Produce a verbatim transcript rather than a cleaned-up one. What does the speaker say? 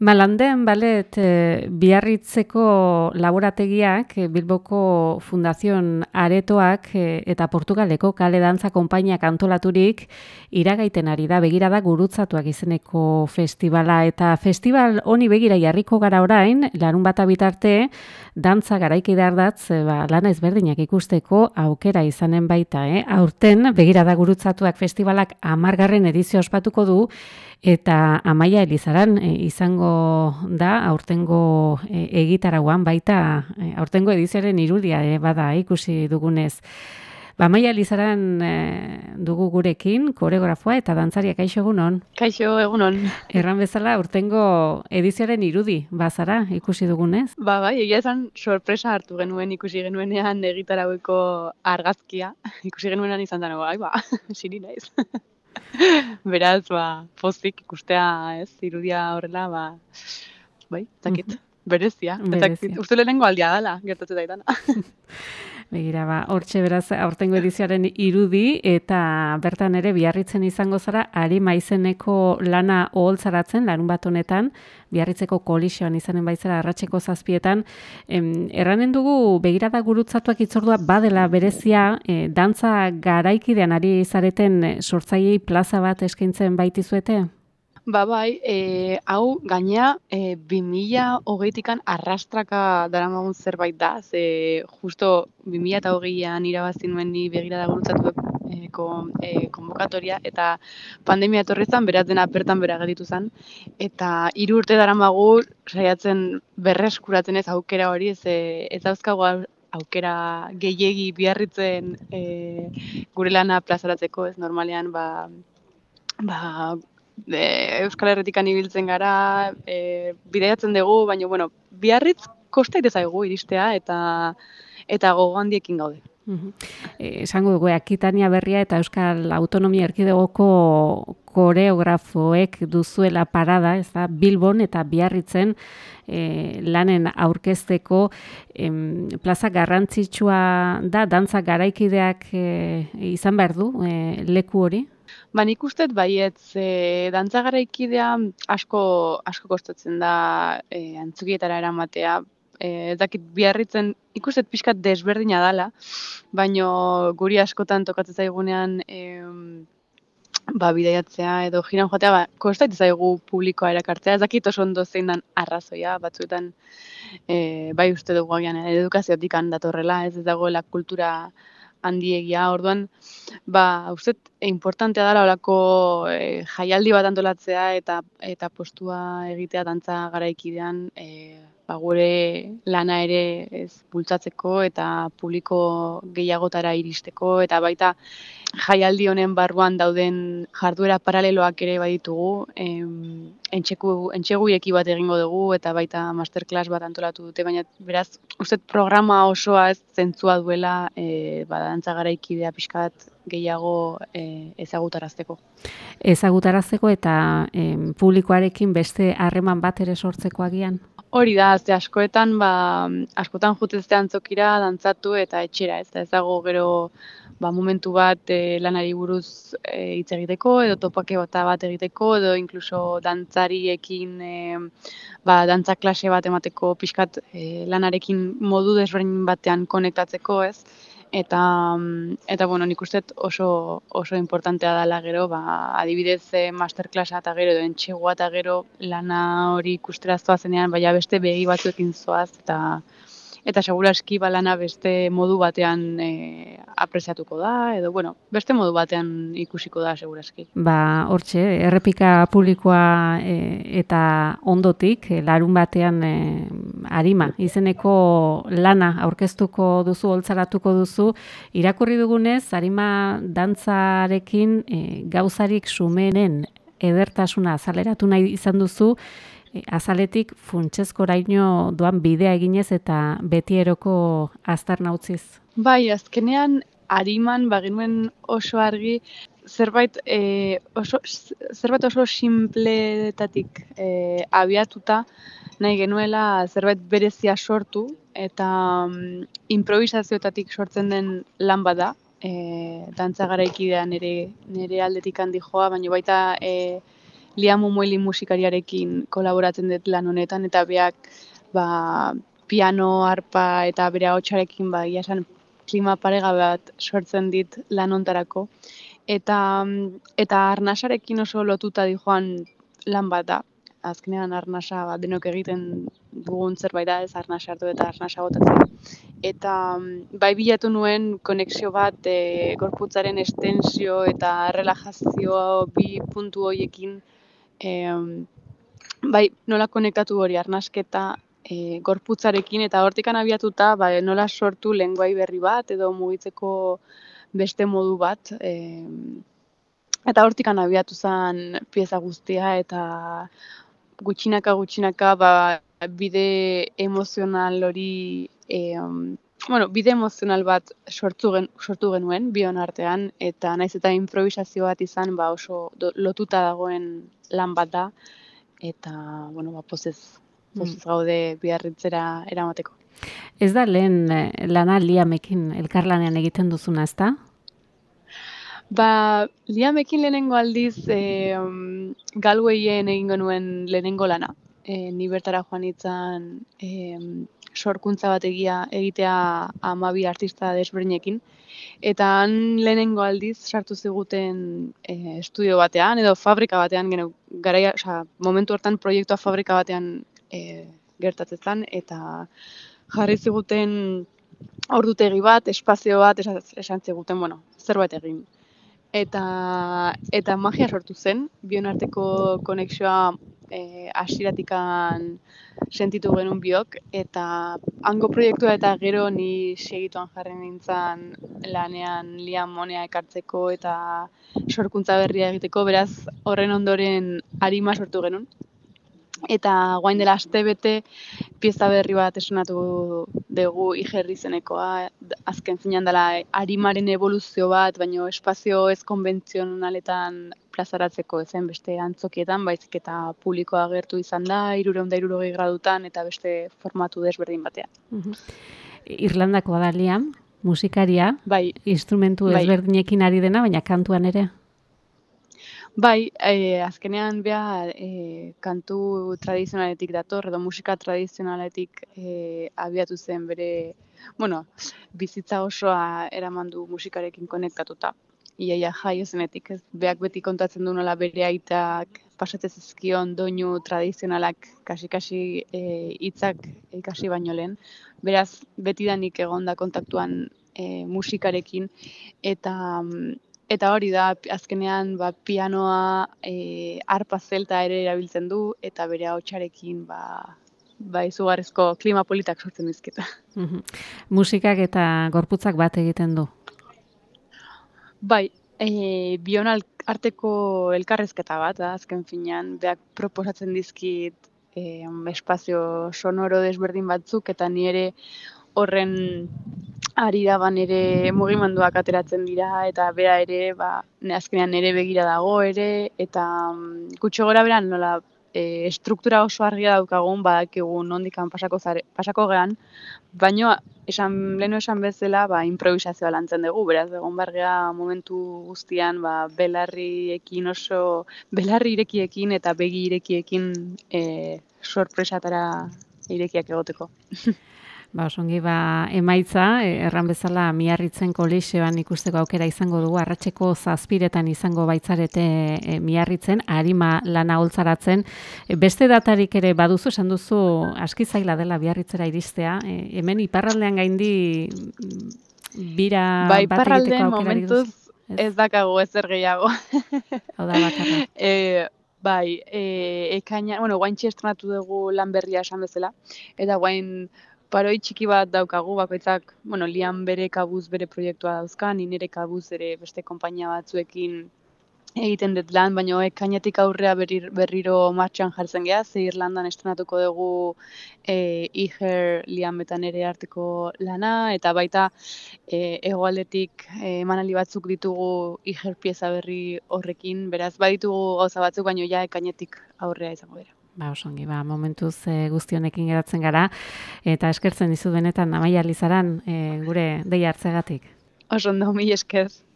Malanden Ballet e, Biarritzeko laborategiak, e, Bilboko Fundazion Aretoak e, eta Portugaleko Kale Dantza Konpainiak antolaturik iragaiten ari da, begirada gurutzatuak izeneko festivala. Eta festival honi begira jarriko gara orain, larun bata bitarte, dantza garaikide ardatz, e, ba, lana ezberdinak ikusteko aukera izanen baita. Eh? Aurten, begirada gurutzatuak festivalak hamargarren edizio ospatuko du, eta Amaia Elizaran e, izango da aurtengo e, egitarauan baita e, aurtengo edizioaren irudia e, bada ikusi dugunez. Ba, Amaia Elizaran e, dugu gurekin, koreografoa eta dantzaria. Kaixo egunon. Kaixo egunon. Erran bezala aurtengo edizioaren irudi bazara ikusi dugunez. Ba, bai, egia esan sorpresa hartu genuen ikusi genuenean egitaraueko argazkia. Ikusi genuenean izan dago, ai ba, siri naiz. Beraz, ba, pozik ikustea, ez, irudia horrela, ba, bai, zakit, berezia. Berezia. Uste lehenengo aldia dela, gertatzen daitana. Begira, ba, hortxe beraz, aurtengo edizioaren irudi, eta bertan ere Biarritzen izango zara, Arima izeneko lana oholtzaratzen, larun bat honetan, Biarritzeko kolisioan izanen baitzera, arratseko zazpietan. Em, erranen dugu, begirada gurutzatuak itzordua badela berezia, e, dantza garaikidean ari zareten e, sortzaileei plaza bat eskaintzen baitizuete? Ba, bai, e, hau gaina e, bi mila hogeitikan arrastraka daramagun zerbait da, ze justo bi mila hogeian irabazi nuen ni begirada gurutzatu e, kon, e, konbokatoria, eta pandemia etorri zen, beraz dena bertan bera gelditu zen, eta hiru urte daramagu saiatzen berreskuratzen ez aukera hori, ez, ez dauzkagu aukera gehiegi Biarritzen e, gure lana plazaratzeko, ez normalean, ba, ba, E, Euskal Herritikan ibiltzen gara, e, bidaiatzen dugu, baina, bueno, Biarritz kosta ite zaigu iristea eta eta gogo handiekin gaude. Uhum. E, esango dugu, Akitania Berria eta Euskal Autonomia Erkidegoko koreografoek duzuela parada, ez da, Bilbon eta Biarritzen e, lanen aurkezteko em, plaza garrantzitsua da, dantza garaikideak e, izan behar du e, leku hori? Ba, nik uste baiet, e, dantza garaikidea asko, asko kostatzen da e, antzukietara eramatea. E, ez dakit Biarritzen ikustet pixkat desberdina dala, baino guri askotan tokatzen zaigunean e, ba, bidaiatzea edo jiran joatea, ba, kostaitu zaigu publikoa erakartzea. Ez dakit oso ondo zein dan arrazoia, batzuetan e, bai uste dugu agian edukaziotik datorrela, ez ez dagoela kultura handiegia, orduan, ba, uste, importantea dela olako e, jaialdi bat antolatzea eta eta postua egitea dantza garaikidean e, ba, gure lana ere ez bultzatzeko eta publiko gehiagotara iristeko eta baita jaialdi honen barruan dauden jarduera paraleloak ere baditugu, em, entxeku, entxeguieki bat egingo dugu eta baita masterclass bat antolatu dute, baina beraz, uste programa osoa ez zentzua duela e, ba, dantza garaikidea pixkat gehiago e, ezagutarazteko. Ezagutarazteko eta em, publikoarekin beste harreman bat ere sortzeko agian? Hori da, ze askoetan, ba, askotan jutezte antzokira, dantzatu eta etxera, ez da ez dago gero ba, momentu bat e, lanari buruz e, hitz egiteko, edo topake bat bat egiteko, edo inkluso dantzariekin e, ba, dantza klase bat emateko pixkat e, lanarekin modu desberdin batean konektatzeko, ez? Eta, eta bueno, nik uste oso, oso importantea dela gero, ba, adibidez e, masterclassa eta gero, edo entxegua eta gero lana hori ikustera zoazenean, baina beste begi batzuekin zoaz, eta eta seguraski balana beste modu batean e, apreziatuko da, edo, bueno, beste modu batean ikusiko da seguraski. Ba, hortxe, errepika publikoa e, eta ondotik, e, larun batean e, Arima, izeneko lana aurkeztuko duzu, holtzaratuko duzu, irakurri dugunez, Arima dantzarekin e, gauzarik sumenen edertasuna azaleratu nahi izan duzu, azaletik funtsezkoraino doan bidea eginez eta betieroko aztarna utziz. Bai, azkenean Ariman bagenuen oso argi zerbait e, oso zerbait oso sinpletatik e, abiatuta nahi genuela zerbait berezia sortu eta um, improvisazioetatik sortzen den lan bada. E, dantza garaikidean nire nire aldetik handi joa, baina baita e, Liam Momoili musikariarekin kolaboratzen dut lan honetan, eta beak ba, piano, arpa eta bere ahotsarekin ba, ia esan, klima paregabe bat sortzen dit lan hontarako. Eta, eta arnasarekin oso lotuta dijoan lan bat da. Azkenean arnasa ba, denok egiten dugun zerbait da, ez arnasa hartu eta arnasa botatzen. Eta bai bilatu nuen konexio bat e, gorputzaren estensio eta relajazio bi puntu horiekin e, bai nola konektatu hori arnasketa e, gorputzarekin eta hortikan abiatuta ba, nola sortu lenguai berri bat edo mugitzeko beste modu bat. E, eta hortikan abiatu zen pieza guztia eta gutxinaka gutxinaka ba, bide emozional hori e, bueno, bide emozional bat sortu, gen, sortu genuen bion artean, eta naiz eta improvisazio bat izan ba, oso do, lotuta dagoen lan bat da, eta bueno, ba, pozez, pozez gaude Biarritzera eramateko. Ez da lehen lana Liamekin elkarlanean egiten duzuna, ezta? Ba, Liamekin lehenengo aldiz e, Galweien egingo nuen lehenengo lana. E, ni bertara joan itzan e, sorkuntza bat egia egitea hamabi artista desberdinekin. Eta han lehenengo aldiz sartu ziguten e, estudio batean edo fabrika batean, gero, garaia, osea, momentu hortan proiektua fabrika batean e, gertatzen eta jarri ziguten ordutegi bat, espazio bat, esan, esan ziguten, bueno, zerbait egin. Eta, eta magia sortu zen, bion arteko konexioa e, asiratikan sentitu genuen biok, eta hango proiektua eta gero ni segituan jarri nintzen lanean Liam Monea ekartzeko eta sorkuntza berria egiteko, beraz horren ondoren arima sortu genuen. Eta guain dela astebete pieza berri bat esonatu dugu Igerri izenekoa, azken finean dela arimaren evoluzio bat, baino espazio ez konbentzionaletan plazaratzeko ezen beste antzokietan, baizik eta publikoa agertu izan da, hirurehun eta hirurogei gradutan eta beste formatu desberdin batean. Uh-huh. Irlandakoa da Liam, musikaria, bai, instrumentu bai. ezberdinekin ari dena, baina kantuan ere? Bai, e, azkenean beha e, kantu tradizionaletik dator, edo musika tradizionaletik e, abiatu zen bere, bueno, bizitza osoa eraman du musikarekin konektatuta. Iaia jaio zenetik, ez beak beti kontatzen du nola bere aitak pasatzen zizkion doinu tradizionalak kasi-kasi hitzak e, ikasi baino lehen. Beraz, betidanik egonda kontaktuan e, musikarekin, eta Eta hori da, azkenean ba, pianoa, e, arpa zelta ere erabiltzen du, eta bere ahotsarekin ba, ba, izugarrizko klima politak sortzen dizketa. Uh-huh. Musikak eta gorputzak bat egiten du? Bai, e, bion arteko elkarrezketa bat, da, azken finean, beak proposatzen dizkit e, espazio sonoro desberdin batzuk, eta ni ere horren ari daban ere mugimenduak ateratzen dira, eta bera ere, ba, azkenean nire begira dago ere, eta um, gutxo gora beran nola e, struktura oso argia daukagun, badakigu nondikan pasako, zare, pasako gean, baina esan, lehenu esan bezala ba, improvisazioa lantzen dugu, beraz, egon bargea momentu guztian ba, belarriekin oso, belarri irekiekin eta begi irekiekin e, sorpresatara irekiak egoteko. Ba, osongi, ba, emaitza, erran bezala Miarritzen kolexioan ikusteko aukera izango dugu, arratseko zazpiretan izango baitzarete e, Miarritzen, arima lana holtzaratzen. E, beste datarik ere baduzu, esan duzu, aski zaila dela Biarritzera iristea. E, hemen iparraldean gaindi bira ba, bat egiteko aukera momentuz ez? ez dakago ezer gehiago. Hau da bakarra. E, bai, e, ekaina, bueno, guaintxe estrenatu dugu lan berria esan bezala, eta guain paroi txiki bat daukagu, bakoitzak, bueno, Liam bere kabuz bere proiektua dauzka, ni nire kabuz ere beste konpainia batzuekin egiten dut lan, baina ekainetik aurrea berriro, berriro martxan jartzen geha, ze Irlandan estrenatuko dugu e, Iger Liam eta nire arteko lana, eta baita e, hegoaldetik e, emanaldi batzuk ditugu Iger pieza berri horrekin, beraz baditugu gauza batzuk, baina ja ekainetik aurrea izango dira. Ba, osongi, ba, momentuz e, guztionekin geratzen gara, eta eskertzen dizu benetan Amaia Lizaran e, gure deia hartzegatik. Oso ondo, mila esker.